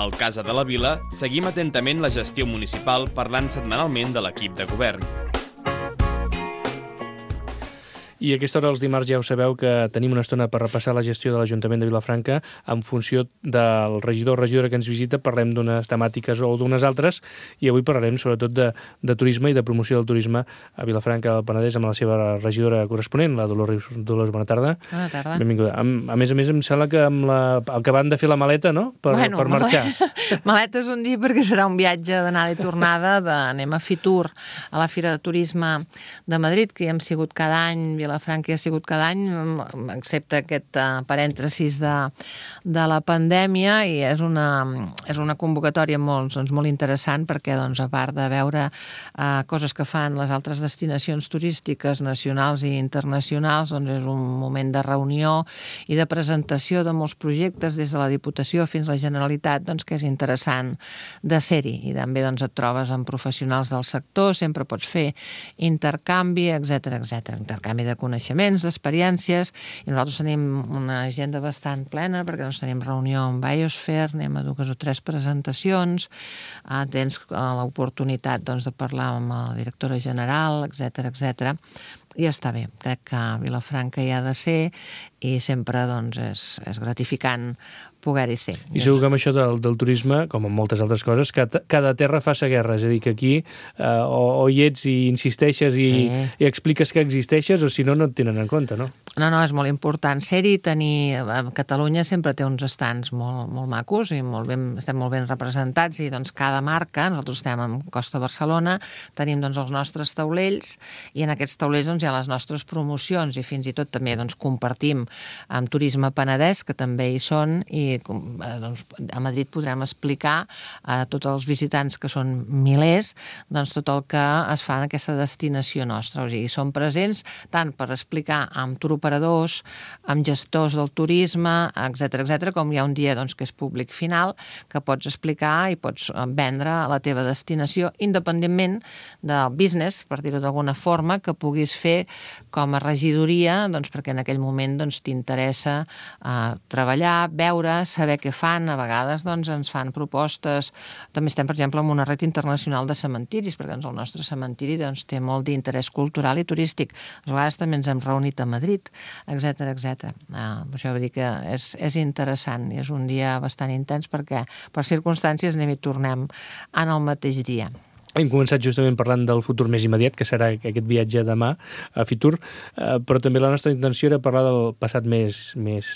Al Casa de la Vila seguim atentament la gestió municipal parlant setmanalment de l'equip de govern. I a aquesta hora, els dimarts, ja ho sabeu que tenim una estona per repassar la gestió de l'Ajuntament de Vilafranca en funció del regidor o regidora que ens visita. Parlem d'unes temàtiques o d'unes altres i avui parlarem sobretot de turisme i de promoció del turisme a Vilafranca del Penedès amb la seva regidora corresponent, la Dolors. Dolors, bona tarda. Bona tarda. Benvinguda. A més, em sembla que acabant de fer la maleta, no?, per marxar. Maleta és un dia perquè serà un viatge d'anada i tornada. Anem a Fitur, a la Fira de Turisme de Madrid, que hi hem sigut cada any. Vilafranca hi ha sigut cada any, excepte aquest parèntesis de la pandèmia, i és una convocatòria molt interessant perquè, a part de veure coses que fan les altres destinacions turístiques nacionals i internacionals, és un moment de reunió i de presentació de molts projectes des de la Diputació fins a la Generalitat, que és interessant de ser-hi. I també et trobes amb professionals del sector, sempre pots fer intercanvi, etcètera, intercanvi de coneixements, d'experiències, i nosaltres tenim una agenda bastant plena perquè tenim reunió amb Biosphere, anem a 2 o 3 presentacions, tens l'oportunitat de parlar amb la directora general, etcètera, i està bé. Crec que Vilafranca hi ha de ser i sempre és gratificant poder-hi ser. I segur que amb això del turisme, com amb moltes altres coses, cada terra fa sa guerra, és a dir, que aquí o hi ets i insisteixes i expliques que existeixes, o si no, no et tenen en compte, no? No, és molt important ser-hi, Catalunya sempre té uns estants molt macos i estem molt ben representats, i cada marca, nosaltres estem en Costa Barcelona, tenim els nostres taulells, i en aquests taulells hi ha les nostres promocions, i fins i tot també compartim amb Turisme Penedès, que també hi són, i a Madrid podrem explicar a tots els visitants, que són milers, tot el que es fa en aquesta destinació nostra. O sigui, som presents tant per explicar amb turoperadors, amb gestors del turisme, etcètera, com hi ha un dia que és públic final, que pots explicar i pots vendre la teva destinació, independentment del business, per dir-ho d'alguna forma, que puguis fer com a regidoria, perquè en aquell moment t'interessa treballar, veure, saber què fan. A vegades ens fan propostes. També estem, per exemple, en una red internacional de cementiris, perquè el nostre cementiri té molt d'interès cultural i turístic. A vegades també ens hem reunit a Madrid, etcètera. Això vol dir que és interessant i és un dia bastant intens perquè per circumstàncies anem i tornem en el mateix dia. Hem començat justament parlant del futur més immediat, que serà aquest viatge demà a Fitur, però també la nostra intenció era parlar del passat més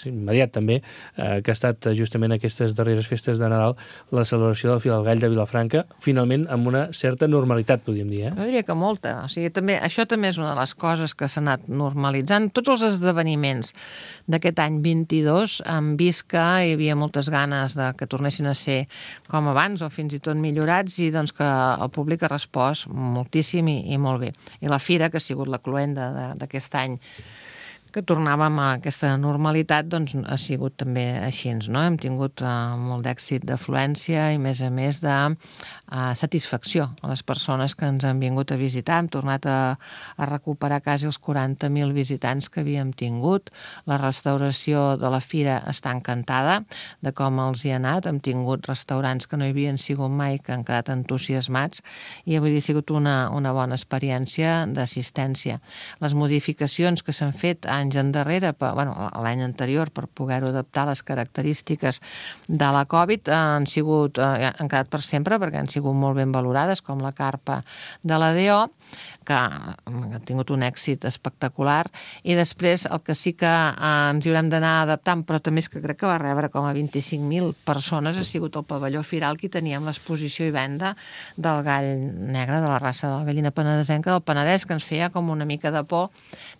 immediat, també, que ha estat justament aquestes darreres festes de Nadal, la celebració del Fil al Gall de Vilafranca, finalment amb una certa normalitat, podríem dir. Jo diria que molta. O sigui, això també és una de les coses que s'ha anat normalitzant. Tots els esdeveniments d'aquest any 22 hem vist que hi havia moltes ganes que tornessin a ser com abans o fins i tot millorats, i que el públic ha respost moltíssim i molt bé. I la fira, que ha sigut la cloenda d'aquest any, que tornàvem a aquesta normalitat, ha sigut també així, no? Hem tingut molt d'èxit d'afluència i, a més, de satisfacció a les persones que ens han vingut a visitar. Hem tornat a recuperar quasi els 40.000 visitants que havíem tingut. La restauració de la fira està encantada de com els hi ha anat. Hem tingut restaurants que no hi havien sigut mai, que han quedat entusiasmats, i avui ha sigut una bona experiència d'assistència. Les modificacions que s'han fet anys endarrere, l'any anterior, per poder-ho adaptar a les característiques de la Covid, han quedat per sempre perquè han sigut molt ben valorades, com la carpa de la DO, que ha tingut un èxit espectacular, i després el que sí que ens hi haurem d'anar adaptant, però també és que crec que va rebre com a 25.000 persones, ha sigut el pavelló Firal, que teníem l'exposició i venda del gall negre, de la raça de la gallina penedesenca del Penedès, que ens feia com una mica de por,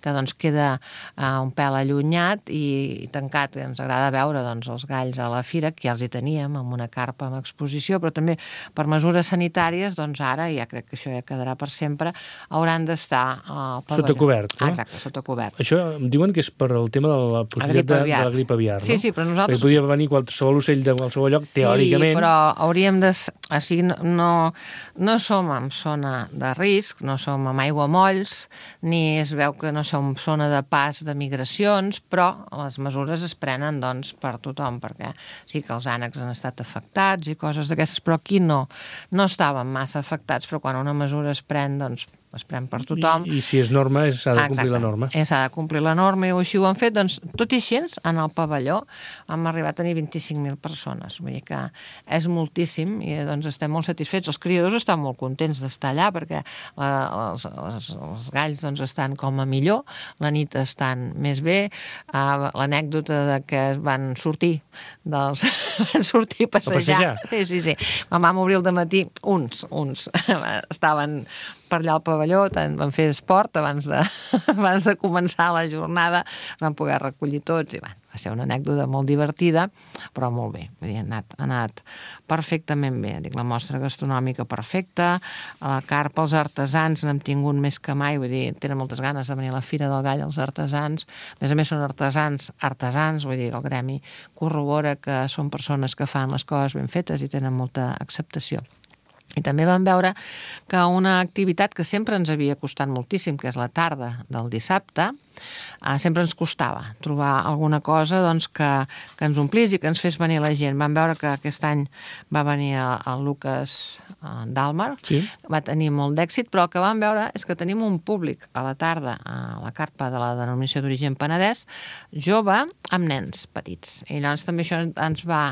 que queda un pèl allunyat i tancat. Ens agrada veure els galls a la fira, que ja els hi teníem amb una carpa amb exposició, però també per mesures sanitàries, ara ja crec que això ja quedarà per sempre, hauran d'estar al pavelló. Sota cobert, no? Exacte, sota cobert. Això em diuen que és per el tema de la possibilitat de la grip aviar, no? Sí, però nosaltres... Perquè podria venir qualsevol ocell de qualsevol lloc, teòricament. Sí, però hauríem de... O sigui, no som en zona de risc, no som en aiguamolls, ni es veu que no som zona de pas de migracions, però les mesures es prenen, doncs, per tothom, perquè sí que els ànecs han estat afectats i coses d'aquestes, però aquí no estaven massa afectats, però quan una mesura es pren, doncs, es pren per tothom. I si és norma, s'ha de complir la norma. S'ha de complir la norma i així ho han fet. Doncs, tot i així, en el pavelló hem arribat a tenir 25.000 persones. Vull dir que és moltíssim i doncs, estem molt satisfets. Els criadors estan molt contents d'estar allà perquè els galls doncs, estan com a millor, la nit estan més bé. L'anècdota de que van sortir a passejar. Sí. Quan vam obrir el dematí, uns estaven per allà al pavelló, van fer esport abans de començar la jornada, van poder recollir tots i va ser una anècdota molt divertida, però molt bé. Vull dir, ha anat perfectament bé. Dic, la mostra gastronòmica perfecta, a la carpa, els artesans n'hem tingut més que mai, vull dir, tenen moltes ganes de venir a la Fira del Gall, els artesans. A més són artesans, vull dir, el gremi corrobora que són persones que fan les coses ben fetes i tenen molta acceptació. I també vam veure que una activitat que sempre ens havia costat moltíssim, que és la tarda del dissabte, sempre ens costava trobar alguna cosa doncs, que ens omplís i que ens fes venir la gent. Vam veure que aquest any va venir el Lucas Dalmar, sí. Va tenir molt d'èxit, però el que vam veure és que tenim un públic a la tarda a la carpa de la denominació d'origen Penedès, jove amb nens petits. I llavors també això ens va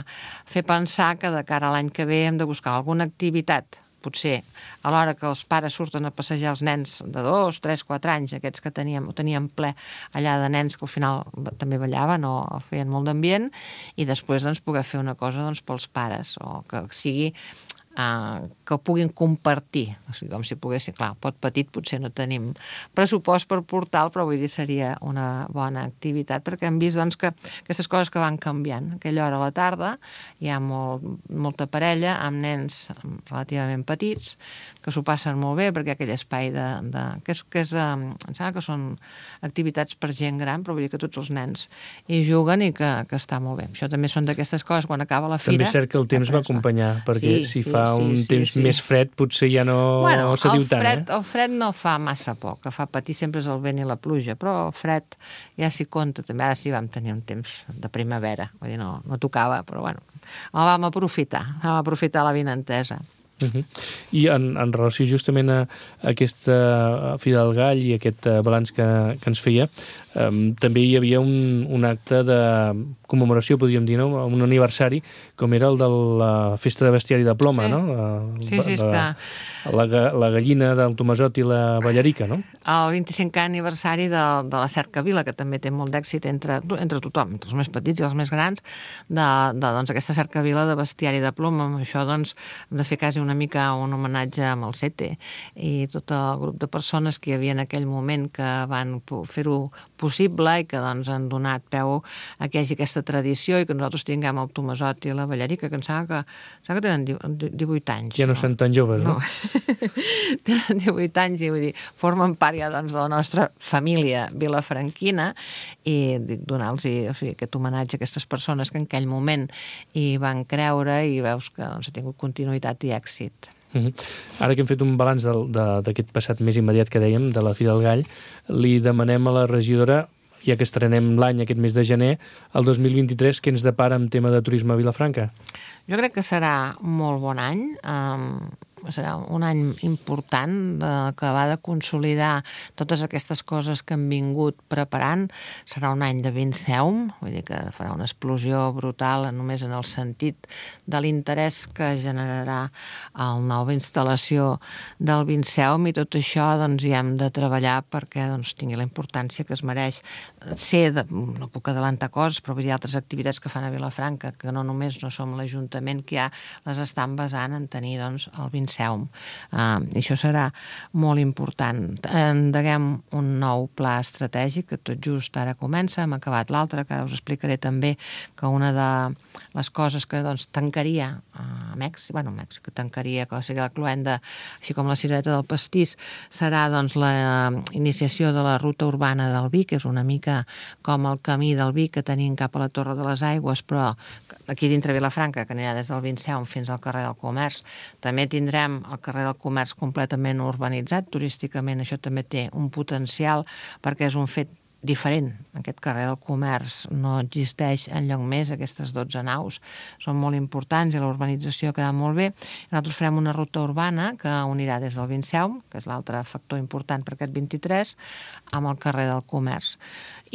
fer pensar que de cara a l'any que ve hem de buscar alguna activitat potser a l'hora que els pares surten a passejar els nens de 2, 3, 4 anys, aquests que teníem ple allà de nens que al final també ballaven o feien molt d'ambient, i després doncs, poder fer una cosa doncs, pels pares, o que sigui que ho puguin compartir, o sigui, com si poguessin, clar, pot petit potser no tenim pressupost per portal, però vull dir seria una bona activitat, perquè hem vist doncs, que aquestes coses que van canviant, aquella hora a la tarda hi ha molta parella amb nens relativament petits que s'ho passen molt bé, perquè aquell espai em sembla que són activitats per gent gran, però vull dir que tots els nens hi juguen i que està molt bé. Això també són d'aquestes coses, quan acaba la fira... També és cert que el temps va acompanyar, perquè si fa un temps més fred potser ja no se diu tant. El fred no fa massa por, que fa patir sempre és el vent i la pluja, però el fred ja s'hi compta també. Ara sí vam tenir un temps de primavera, vull dir, no tocava, però bueno, el vam aprofitar l'avinentesa. I en relació justament a aquesta Fira del Gall i aquest balanç que ens feia, també hi havia un acte de commemoració, podríem dir, no? Un aniversari, com era el de la festa de bestiari de Ploma, no? Sí, està. La gallina del Tomasot i la Ballarica, no? El 25è aniversari de la Cercavila, que també té molt d'èxit entre tothom, entre els més petits i els més grans, doncs, aquesta Cercavila de bestiari de ploma. Amb això doncs, hem de fer quasi una mica un homenatge amb el CETE i tot el grup de persones que hi havia en aquell moment que van fer-ho possible i que doncs, han donat peu a que hi hagi aquesta tradició i que nosaltres tinguem el Tomasot i la Ballarica, que em sembla que tenen 18 anys. Ja no són tan joves, no? Tenen 18 anys i vull dir, formen part ja doncs, de la nostra família vilafranquina i donar-los aquest homenatge a aquestes persones que en aquell moment hi van creure i veus que doncs, ha tingut continuïtat i èxit. Ara que hem fet un balanç d'aquest passat més immediat que dèiem, de la Fira del Gall, li demanem a la regidora, ja que estrenem l'any aquest mes de gener, el 2023, què ens depara en tema de turisme a Vilafranca? Jo crec que serà molt bon any, serà un any important que va de consolidar totes aquestes coses que han vingut preparant. Serà un any de Vinceum, vull dir que farà una explosió brutal només en el sentit de l'interès que generarà la nova instal·lació del Vinceum, i tot això doncs, hi hem de treballar perquè doncs, tingui la importància que es mereix. No puc adelantar coses, però vull dir altres activitats que fan a Vilafranca, que no només no som l'Ajuntament que ja les estan basant en tenir doncs, el Vinceum. I això serà molt important. Endeguem un nou pla estratègic que tot just ara comença, hem acabat l'altre, que ara us explicaré també que una de les coses que doncs, tancaria Mèxic, Mèxic tancaria, que sigui la cloenda, així com la cirereta del pastís, serà doncs la iniciació de la ruta urbana del vi, que és una mica com el camí del vi que tenim cap a la Torre de les Aigües, però aquí dintre Vilafranca, que anirà des del Vinceum fins al carrer del Comerç. També tindrem el carrer del Comerç completament urbanitzat, turísticament això també té un potencial perquè és un fet diferent. Aquest carrer del Comerç no existeix enlloc més, aquestes 12 naus són molt importants i la urbanització ha quedat molt bé. Nosaltres farem una ruta urbana que unirà des del Vinceum, que és l'altre factor important per aquest 23, amb el carrer del Comerç.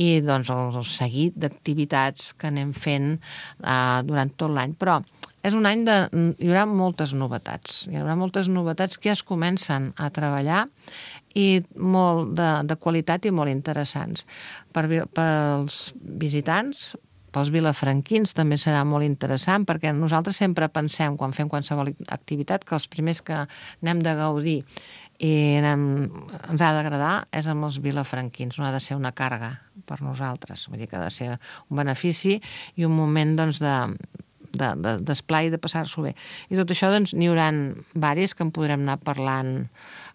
I doncs el seguit d'activitats que anem fent durant tot l'any. Però és un any hi haurà moltes novetats. Hi haurà moltes novetats que ja es comencen a treballar i molt de qualitat i molt interessants. Pels visitants, pels vilafranquins també serà molt interessant, perquè nosaltres sempre pensem, quan fem qualsevol activitat, que els primers que n'hem de gaudir i ens ha d'agradar és amb els vilafranquins, no ha de ser una càrrega per nosaltres, vull dir que ha de ser un benefici i un moment doncs, d'esplai i de passar-s'ho bé. I tot això doncs, n'hi haurà diversos que en podrem anar parlant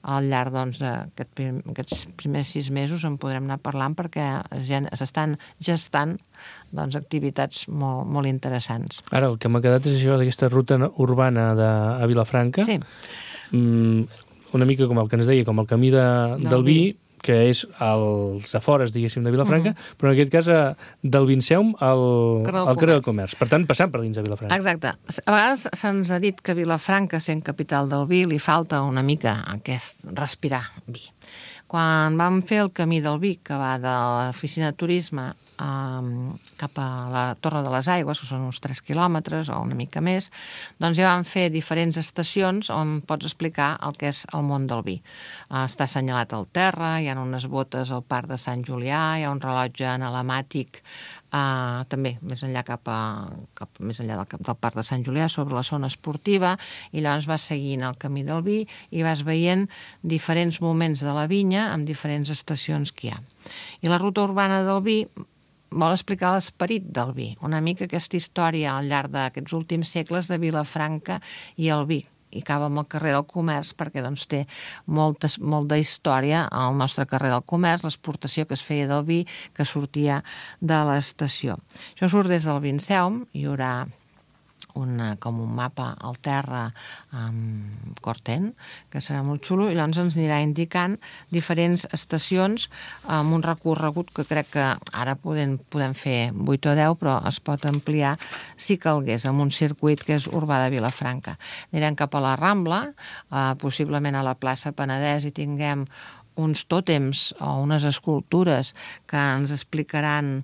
al llarg doncs, d'aquests primers 6 mesos, en podrem anar parlant perquè s'estan gestant doncs, activitats molt, molt interessants. Ara, el que m'ha quedat és això d'aquesta ruta urbana a Vilafranca. Sí. Una mica com el que ens deia, com el camí del vi, que és als afores, diguéssim, de Vilafranca, però en aquest cas del Vinceum al carrer del Comerç. Per tant, passant per dins de Vilafranca. Exacte. A vegades se'ns ha dit que Vilafranca, sent capital del vi, li falta una mica aquest respirar vi. Quan vam fer el camí del vi, que va de l'oficina de turisme cap a la Torre de les Aigües, que són uns 3 quilòmetres o una mica més, doncs ja vam fer diferents estacions on pots explicar el que és el món del vi. Està assenyalat al terra, hi ha unes botes al parc de Sant Julià, hi ha un rellotge analemàtic també més enllà més enllà del parc de Sant Julià, sobre la zona esportiva, i llavors vas seguint el camí del vi i vas veient diferents moments de la vinya amb diferents estacions que hi ha. I la ruta urbana del vi vol explicar l'esperit del vi, una mica aquesta història al llarg d'aquests últims segles de Vilafranca i el vi. I acaba amb el carrer del Comerç perquè doncs, té molta història al nostre carrer del Comerç, l'exportació que es feia del vi que sortia de l'estació. Això surt des del Vinceum, hi haurà com un mapa al terra amb Corten, que serà molt xulo, i llavors ens anirà indicant diferents estacions amb un recorregut que crec que ara podem fer 8 o 10, però es pot ampliar si calgués, amb un circuit que és urbà de Vilafranca. Anirem cap a la Rambla, possiblement a la plaça Penedès, i tinguem uns tòtems o unes escultures que ens explicaran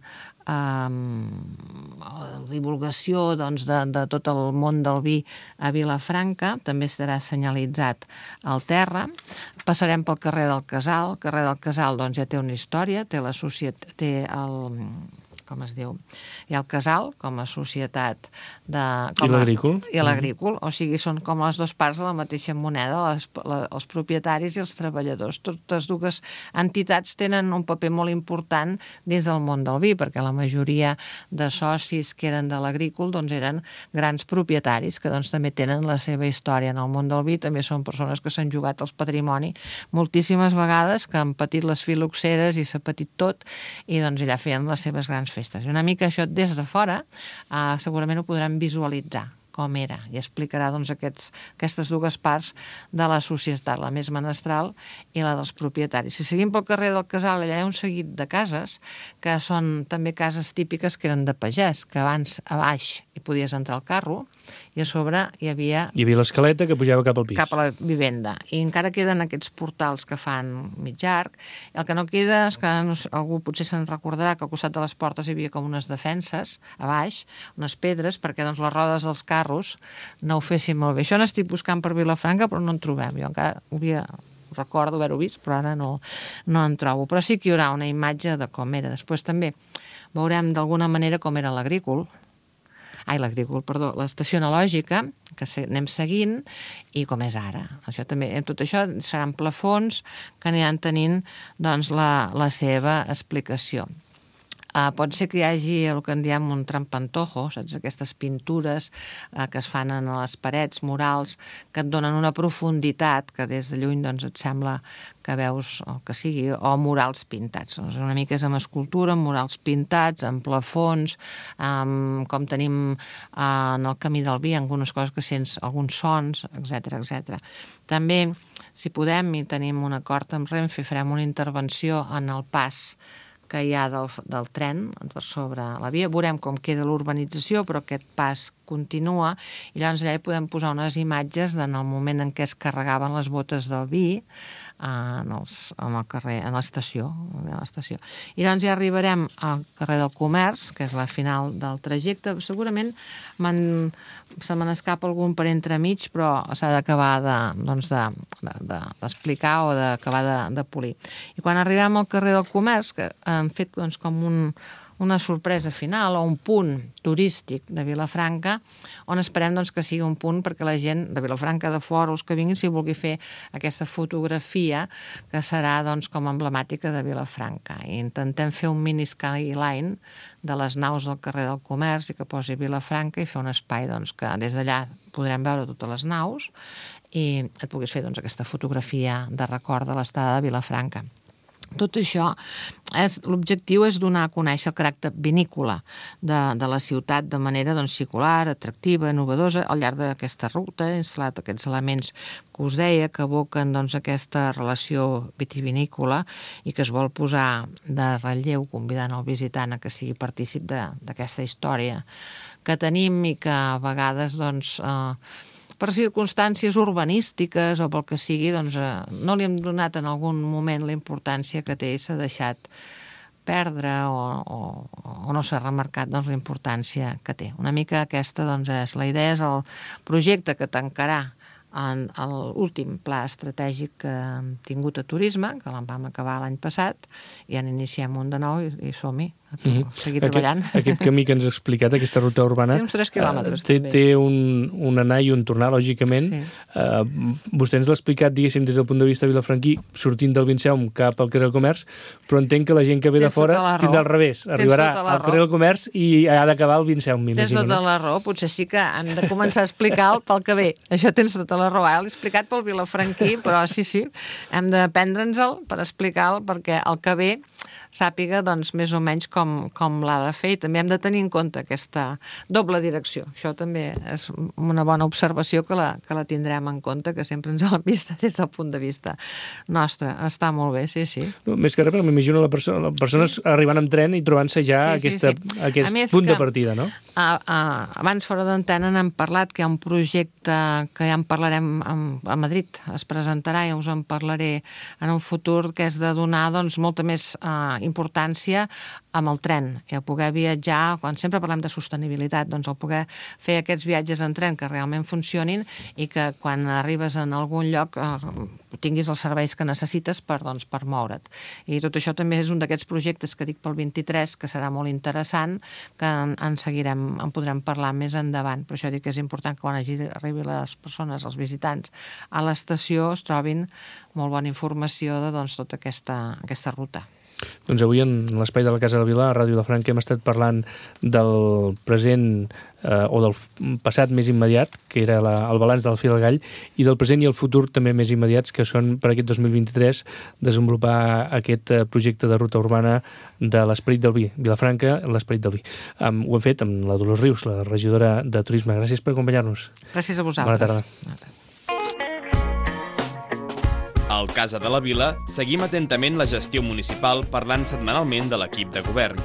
la divulgació doncs, de tot el món del vi a Vilafranca, també estarà senyalitzat al terra. Passarem pel carrer del Casal. El carrer del Casal doncs, ja té una història, té com es diu, hi ha el Casal com a societat i l'agrícol. I l'agrícol, o sigui, són com les dues parts de la mateixa moneda, els propietaris i els treballadors. Totes dues entitats tenen un paper molt important dins del món del vi, perquè la majoria de socis que eren de l'agrícola doncs eren grans propietaris que doncs també tenen la seva història en el món del vi, també són persones que s'han jugat el patrimoni moltíssimes vegades, que han patit les filoxeres i s'ha patit tot, i doncs allà feien les seves grans festes. I una mica això des de fora segurament ho podran visualitzar com era, i explicarà doncs, aquestes dues parts de la societat, la més menestral i la dels propietaris. Si seguim pel carrer del Casal, allà hi ha un seguit de cases que són també cases típiques que eren de pagès, que abans a baix hi podies entrar al carro i a sobre hi havia l'escaleta que pujava cap al pis. Cap a la vivenda. I encara queden aquests portals que fan mig arc. El que no queda és que algú potser se'n recordarà que al costat de les portes hi havia com unes defenses a baix, unes pedres, perquè doncs, les rodes dels carros no ho fessin molt bé. Això n'estic buscant per Vilafranca, però no en trobem. Jo encara recordo haver-ho vist, però ara no en trobo. Però sí que hi haurà una imatge de com era. Després també veurem d'alguna manera com era l'estació analògica, que anem seguint, i com és ara. Tot això seran plafons que aniran tenint doncs, la seva explicació. Pot ser que hi hagi el que en diem un trampantojo, saps? Aquestes pintures que es fan a les parets, murals, que et donen una profunditat que des de lluny doncs, et sembla que veus el que sigui, o murals pintats. Doncs una mica és amb escultura, amb murals pintats, amb plafons, com tenim en el Camí del Vi, algunes coses que sents, alguns sons, etc. També, si podem, i tenim un acord amb Renfe, farem una intervenció en el pas que hi ha del tren per sobre la via. Veurem com queda l'urbanització, però aquest pas continua, i llavors allà hi podem posar unes imatges en el moment en què es carregaven les botes del vi en el carrer, en l'estació. I doncs ja arribarem al carrer del Comerç, que és la final del trajecte. Segurament se me n'escapa algun per entremig, però s'ha d'acabar d'explicar o d'acabar de polir. I quan arribem al carrer del Comerç, que hem fet com una sorpresa final o un punt turístic de Vilafranca, on esperem que sigui un punt perquè la gent de Vilafranca, de fora, els que vinguin, si vulgui fer aquesta fotografia que serà com emblemàtica de Vilafranca. I intentem fer un mini skyline de les naus del carrer del Comerç i que posi Vilafranca i fer un espai que des d'allà podrem veure totes les naus i et puguis fer aquesta fotografia de record de l'estada de Vilafranca. Tot això, l'objectiu és donar a conèixer el caràcter vinícola de la ciutat de manera circular, atractiva, innovadora, al llarg d'aquesta ruta, instal·lat aquests elements que us deia, que evoquen aquesta relació vitivinícola i que es vol posar de relleu, convidant el visitant a que sigui partícip d'aquesta història que tenim i que a vegades, per circumstàncies urbanístiques o pel que sigui, no li hem donat en algun moment la importància que té i s'ha deixat perdre o no s'ha remarcat la importància que té. Una mica aquesta és la idea, és el projecte que tancarà en l'últim pla estratègic que hem tingut a turisme, que el vam acabar l'any passat, i en iniciem un de nou i som-hi, a seguir treballant. Aquest camí que ens ha explicat, aquesta ruta urbana, té uns 3 quilòmetres. Té un anar i un tornar, lògicament. Vostè ens l'ha explicat, diguéssim, des del punt de vista vilafranquí, sortint del Vinceum cap al carrer del Comerç, però entenc que la gent que ve de fora tindrà al revés. Arribarà al carrer del Comerç i ha d'acabar al Vinceum, m'imagino. Tens tota la raó. Potser sí que hem de començar a explicar pel que ve. Això tens tota la raó. L'he explicat pel vilafranquí, però sí, hem de prendre'ns-el per explicar-lo perquè el que ve sàpiga més o menys com l'ha de fer, i també hem de tenir en compte aquesta doble direcció. Això també és una bona observació que la tindrem en compte, que sempre ens l'hem vista des del punt de vista nostre. Està molt bé, sí. Més que res, però m'imagino les persones arribant amb tren i trobant-se ja aquest punt de partida, no? Abans, fora d'antena, n'hem parlat, que hi ha un projecte que ja en parlarem a Madrid, es presentarà i us en parlaré en un futur, que és de donar molta més importància amb el tren, i el poder viatjar, quan sempre parlem de sostenibilitat, el poder fer aquests viatges en tren que realment funcionin i que quan arribes en algun lloc tinguis els serveis que necessites per moure't. I tot això també és un d'aquests projectes que dic pel 23, que serà molt interessant, que en podrem parlar més endavant. Per això dic que és important que quan arribin les persones, els visitants, a l'estació es trobin molt bona informació de tota aquesta ruta. Doncs avui en l'espai de la Casa de la Vila, a Ràdio Vilafranca, hem estat parlant del present o del passat més immediat, que era el balanç del Fil al Gall, i del present i el futur també més immediats, que són per aquest 2023 desenvolupar aquest projecte de ruta urbana de l'Esperit del Vi, Vilafranca, l'Esperit del Vi. Ho hem fet amb la Dolors Rius, la regidora de Turisme. Gràcies per acompanyar-nos. Gràcies a vosaltres. Bona tarda. Al Casa de la Vila seguim atentament la gestió municipal parlant setmanalment de l'equip de govern.